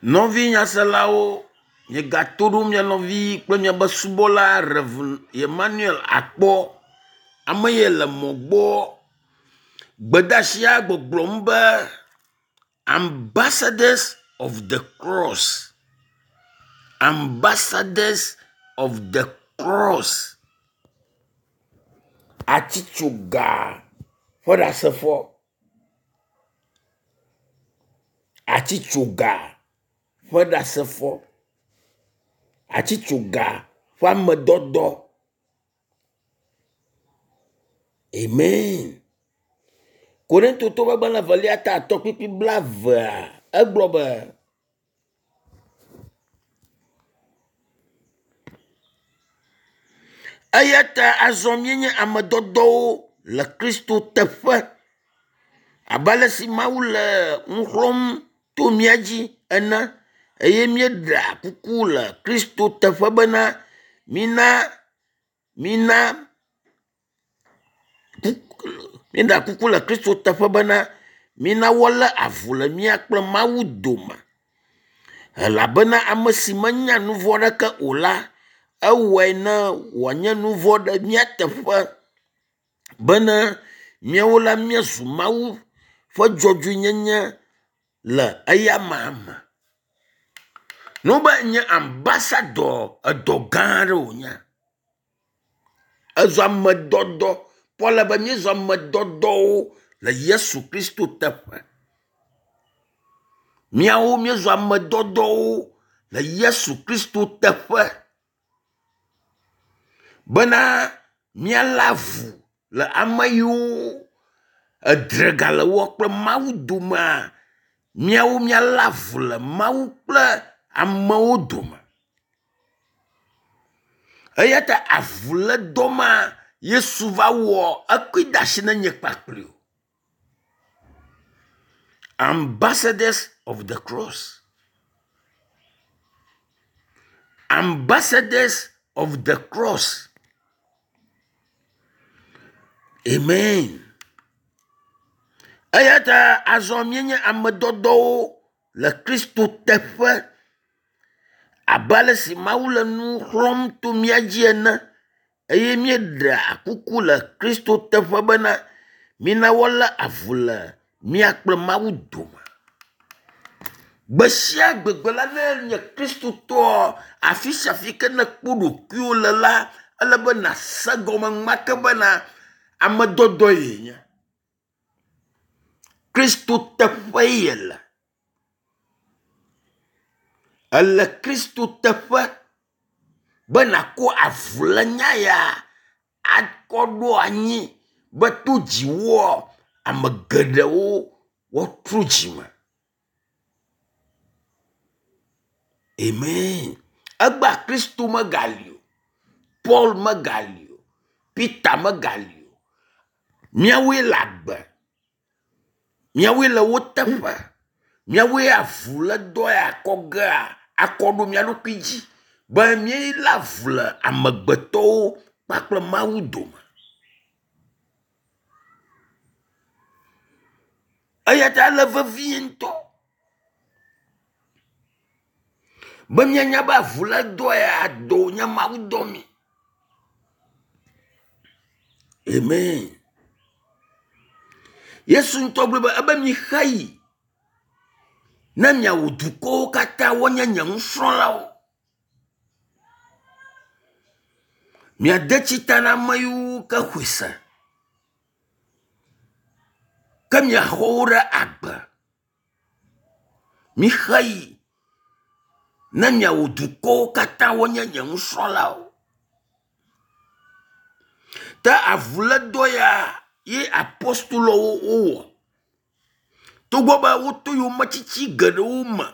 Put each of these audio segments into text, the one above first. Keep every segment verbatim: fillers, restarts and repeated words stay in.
Nɔvi nyaselawo, miegato ɖo mia nɔvi kple miabe subɔla Rev. Emmanuel Akpɔ. Ame ye le mɔ gbɔ. Gbedeasia gbɔgblɔm be ambassadors of the cross. Ambassadors of the cross. Atsitsoga ƒe ɖasefo. Atsitsoga ƒe ɖasefo. Atsitsoga ƒe amedɔdɔ. Amen. Korintotɔwo ƒe agbalẽ evelia ta atɔ̃ kpukpui blaevea egblɔ be eya ta azɔ míenye ame dɔdɔwo le Kristo teƒe abe ale si Mawu le nu xlɔ̃m to mía dzi ene eye míeɖea kuku le Kristo teƒe bena mina mina míeɖea kuku le Kristo teƒe bena mina woalé avu le mía kple Mawu dome elabena ame si menya nu vɔ̃ aɖeke o la, ewɔe ne wòanye nu vɔ̃ ɖe mía teƒe bene míawo la míazu Mawu ƒe dzɔdzɔenyenye le eyama me. Ne wobe nye ambassador, edɔ gã aɖe wònye. Ezu amedɔdɔ. Paul be míezu amedɔdɔwo le Yesu Kristo teƒe. Míawo míezu amedɔdɔwo le Yesu Kristo teƒe bena míalé avu le ame yiwo edre gale woa kple Mawu domea, míawo míalé avu le Mawu kple amewo dome. Eya ta avulédɔ ma Yesu va wɔ ekɔe de asi na nye kpakpli wò. Ambassadors of the cross. Ambassadors of the cross. Amen. Eya ta azɔ míenye ame dɔdɔwo le Kristo teƒe abe ale si Mawu le nu xlɔ̃m to mía dzi ene eye míeɖea kuku le Kristo teƒe bena mina woalé avu le mía kple Mawu dome. Gbe sia gbegbe la ne nye Kristotɔ afi sia afi ke nekpɔ ɖokuiwò le la, ele be nàse gɔme enumake bena ame dɔdɔe yenye. Kristo teƒe yele. Ele Kristo teƒe be nàkɔ avulénya ya akɔ ɖo anyi be to dziwòa, ame geɖewo woatrɔ dzime. Amen. Egbea Kristo megali o. Paul megali o. Peter megali o. Míawoe le agbe. Míawoe le wo teƒe. Míawoe avulédɔ ya kɔ gea akɔ ɖo mía ɖokui dzi be míelé avu le amegbetɔwo kpakple Mawu dome. Eya ta ele vevie ŋutɔ be míanya be avulédɔ ya dɔ wònye Mawu dɔ mí. Amen. Yesu ŋutɔ gblɔ be ebe mixe yi ne miawɔ dukɔwo katã woanye nye nusrɔ̃lawo. Miade tsi ta na ame yiwo ke xɔe se. Ke miaxɔ wo ɖe agbe. Mixe yi ne miawɔ dukɔwo katã woanye nye nusrɔ̃lawo. Te avulédɔ ya ye apostolowo wowɔ. Togbɔ be woto yometsitsi geɖewo me,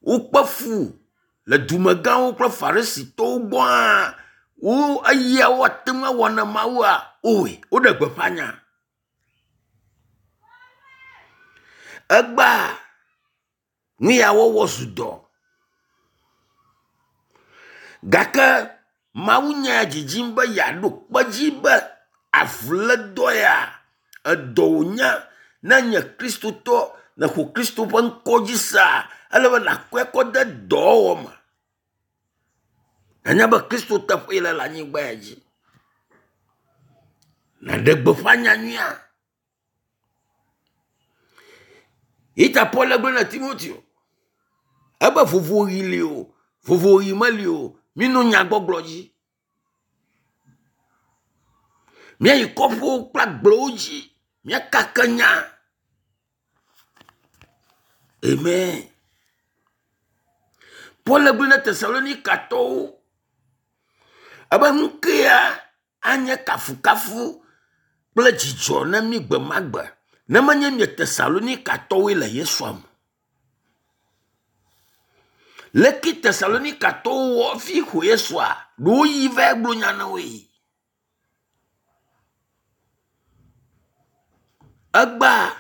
wokpe fu le dumegãwo kple farisitɔwo gbɔ hã, wo eya woate ŋu awɔ na Mawua, wowɔe, woɖe gbeƒã nya. Egbea nu ya wɔwɔ zu dɔ. Gake Mawu nya dzidzim be yeaɖo kpe dzi be avulédɔ ya edɔ wònye ne nye Kristotɔ nèxɔ Kristo ƒe ŋkɔ dzi sea, ele be nàkɔe kɔ de dɔwɔwɔ me. Nanya be Kristo teƒee le le anyigba ya dzi. Nàɖe gbeƒã nyanyuia. Yi ta Paul le gblɔ na Timoteo ebe vovoɣi li o, vovoɣi meli o, minɔ nyagbɔgblɔ dzi. Míayi kɔƒewo kple agblewo dzi, míakake nya. Amen. Paul le gblɔ na Tesalonikatɔwo ebe nu kea anye kafukafu kple dzidzɔ na mí gbe ma gbe ne menye mie Tesalonikatɔwoe le Yesua me. Leke Tesalonikatɔwo wɔ fi xɔ Yesua ɖewo yi va gblɔ nya na woe. Egbea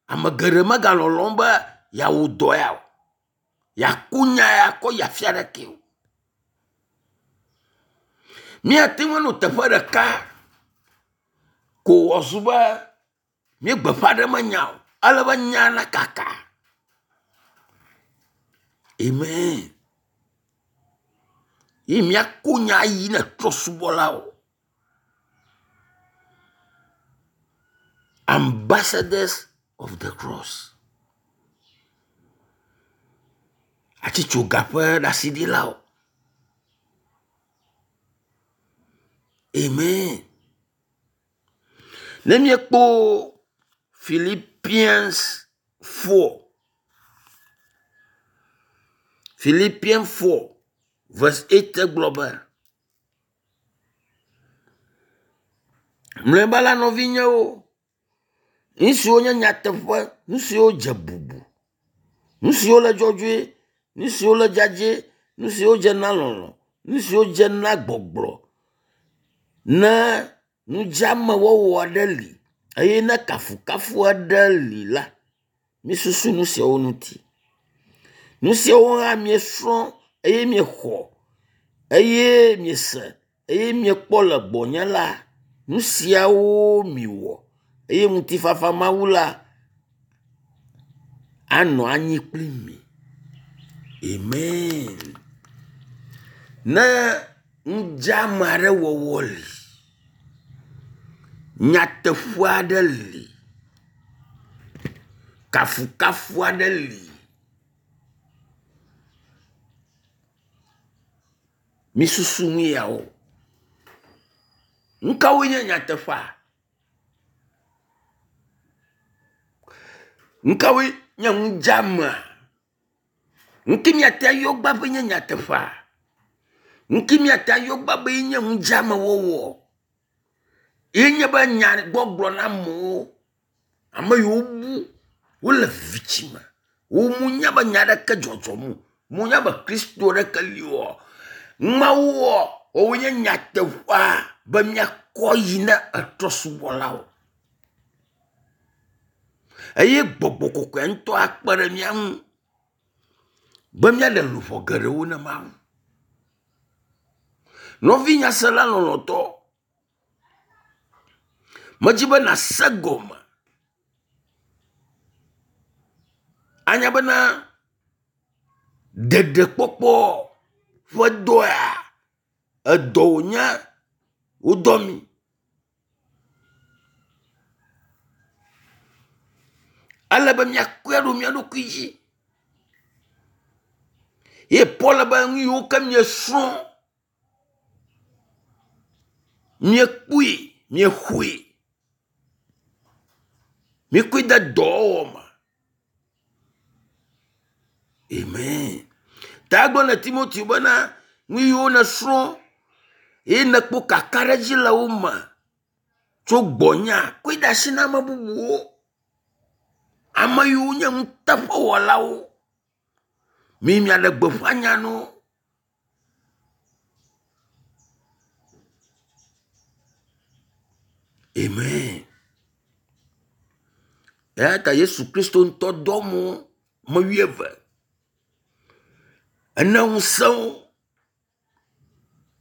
ame geɖe megalɔlɔm be yeawɔ dɔ ya o. Yeaku nya ya kɔ yi afi aɖeke o. Míate ŋu anɔ teƒe ɖeka ko wòazu be míegbeƒã ɖem nya o. Ale be nya nakaka. Amen. Ye míako nya yi ne trɔ̃subɔlawo. Ambassadors of the cross. Atitsoga ƒe ɖasiɖilawo. Amen. Ne míekpɔ Philippians four, Philippians four verse eight gblɔ be, mlɔeba la nɔvinyewo, nu siwo nye nyateƒe, nu siwo dze bubu, nu siwo le dzɔdzɔe, nu siwo le dzadzɛ, nu siwo dze na lɔlɔ̃, nu siwo dze na gbɔgblɔ, ne nudzeamewɔwɔ aɖe li eye ne kafukafu aɖe li la, misusu nu siawo ŋuti. Nu siawo hã miesrɔ̃ eye miexɔ eye miese eye miekpɔ le gbɔnye la, nu siawo miwɔ eye ŋutifafa Mawu la anɔ anyi kpli mi. Amen. Ne nudzeame aɖe wɔwɔ li, nyateƒe aɖe li, kafukafu aɖe li, misusu nu yawo. Nu kawoe nye nyateƒea? Nu kawoe nye nudzeamea? Nu ke míate ayɔ gbã be nye nyateƒea? Nu ke míate ayɔ gbã be nye nudzeamewɔwɔ? Ye nye be nyagbɔgblɔ na amewo, ame yiwo bu wole viviti me, womunya be nya aɖeke dzɔdzɔm o, munya be Kristo ɖeke li o. Mawu wɔ woawoe nye nyateƒea be míakɔ yi na etrɔ̃subɔlawo. Eye gbɔgbɔ kɔkɔe ŋutɔ akpe ɖe mía ŋu be míaɖe luʋɔ geɖewo na Mawu. Nɔvi nyasela lɔlɔ̃tɔ, medzi be nàse gɔme anya bena ɖeɖekpɔkpɔ ƒe dɔa edɔ wònye wodɔ mi. Ele be míakɔe ɖo mía ɖokui dzi. Ye Paul be nu yiwo ke miesrɔ̃, miekpɔe, miexɔe, mikɔe de dɔwɔwɔ me. Amen. Ta egblɔ na Timoteo bena nu yiwo nèsrɔ̃ ye nèkpɔ kakaɖedzi le wo me tso gbɔnya, kɔe de asi na ame bubuwo. Ame yiwo nye nuteƒewɔlawo. Mi miaɖe gbeƒã nya na wo. Amen. Eya ta Yesu Kristo ŋutɔ dɔ amewo ame wuieve. Ena ŋusẽ wo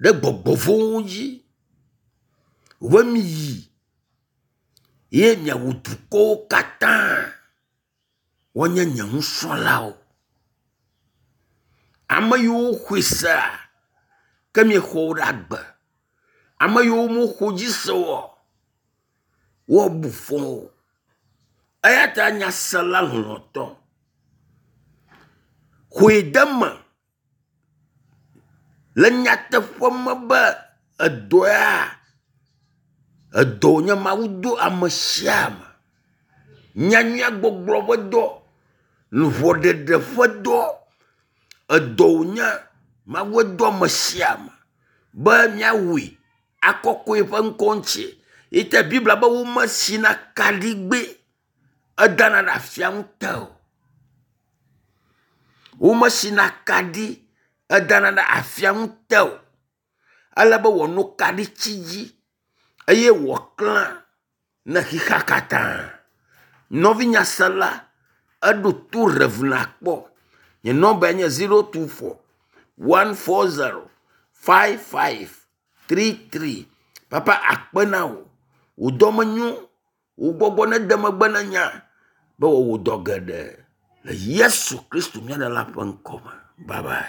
ɖe gbɔgbɔ vɔ̃wo dzi. Be miyi ye miawu dukɔwo katã. Woanye nye nusrɔ̃lawo. Ame yiwo xɔe sea, ke miexɔ wo ɖe agbe. Ame yiwo mexɔ dzi se oa, woabu fɔ wo. Eya ta nyasela lɔlɔ̃tɔ, xɔe de eme le nyateƒe me be edɔ ya, edɔ wònye Mawu do ame sia ame. Nyanyuia gbɔgblɔ ƒe dɔ, luʋɔɖeɖe ƒe dɔ, edɔ wònye Mawue do ame sia ame be míawɔe akɔkɔ eƒe ŋkɔ ŋuti. Yi te Biblia be womesina kaɖigbɛ edana ɖe afianu te o. Womesina kaɖi edana ɖe afianu te o. Ele be wòanɔ kaɖitsi dzi eye wòaklẽ ne xexea katã. Nɔvi nyasela, eɖo to Rev. Akpɔ. Nye nɔmbae nye zero two four one four zero five five three three. Papa akpe na wò. Wò dɔme nyo. Wò gbɔgbɔ nede megbe na nya be wòawɔ dɔ geɖe le Yesu Kristo mía Ɖela ƒe ŋkɔ me. Bye bye.